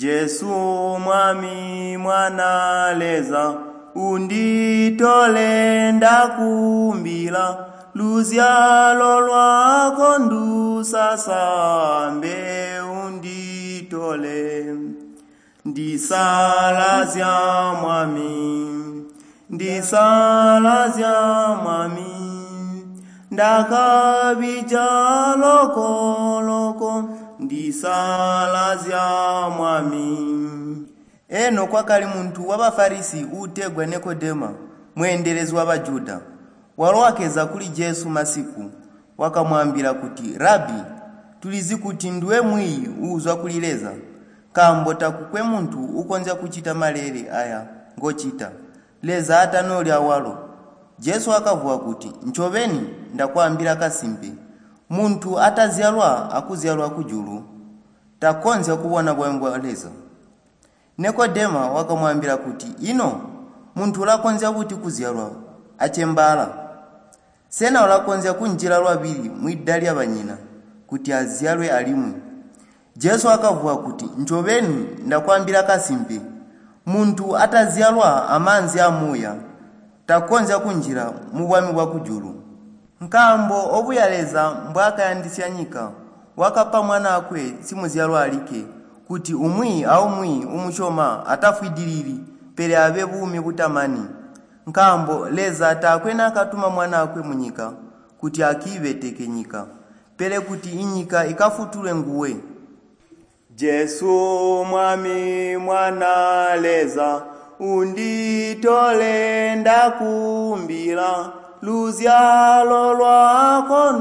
Jesu Mwami Mwana Leza unditole ndakumbila luzyalo lwako ndusasambe unditole ndisalazya Mwami ndisalazya Mwami ndakabija lokoloko ndisalazya Mwami. Eno kwakali muntu wa Bafarisi uutegwa Nikodema, mweendelezi wa Bajuda. Walo wakeza kuli Jesu masiku, wakamwaambila kuti, “Rabi, tulizi kuti nduwe mwiiyi uuzwa kuli Leza, nkaambo takukwe muntu uukonzya kucita maleele aya ngocita, Leza atanoli awalo.” Jesu wakavuwa kuti, “Ncobeni ndakwaambila kasimpe, muntu atazyalwa akuzyalwa kujulu takonzya kubona bwami bwa Leza.” Nikodema wakamwaambila kuti, “Ino muntu ulakonzya buti kuzyalwa acembaala? Sena ulakonzya kunjila lwabili mwida lyabanyina kuti azyalwe alimwi?” Jesu wakavuwa kuti, “Ncobeni ndakwaambila kasimpe, muntu atazyalwa amaanzi amuuya takonzya kunjila mu bwami bwa kujulu. Nkaambo obuya Leza mbwaakayandisya nyika, wakapa Mwanaakwe simuzyalwa alikke, kuti umwi aumwi uumusyoma atafwidilili, pele abe buumi butamani. Nkaambo Leza taakwe naakatuma Mwanaakwe munyika kuti akiibeteke nyika, pele kuti inyika ikafutulwe nguwe. Jesu Mwami Mwana Leza unditole ndakumbila luzyalo lwako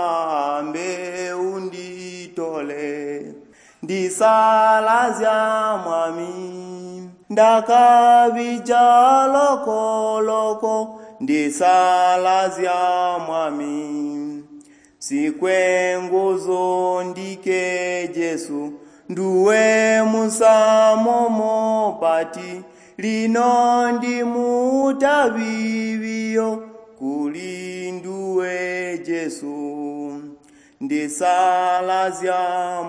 ndusasambe unditole ndisalazya Mwami ndakabija lokoloko ndisalazya Mwami sikwe nguzu ndike Jesu nduwe musamo mupati lino ndimutabibiyo kuli nduwe Jesu ndisalazya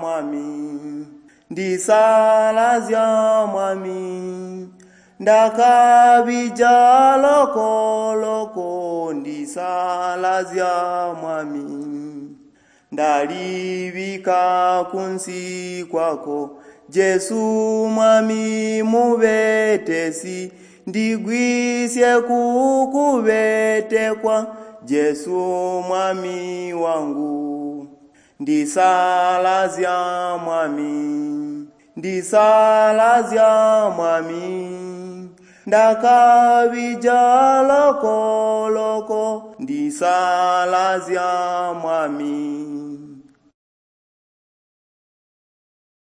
Mwami ndisalazya Mwami ndakabija lokoloko ndisalazya Mwami ndalibika kunsi kwako Jesu Mwami mubetesi ndigwisye kukubetekwa Jesu Mwami wangu ndisalazya Mwami ndisalazya Mwami ndakabija lokoloko ndisalazya Mwami.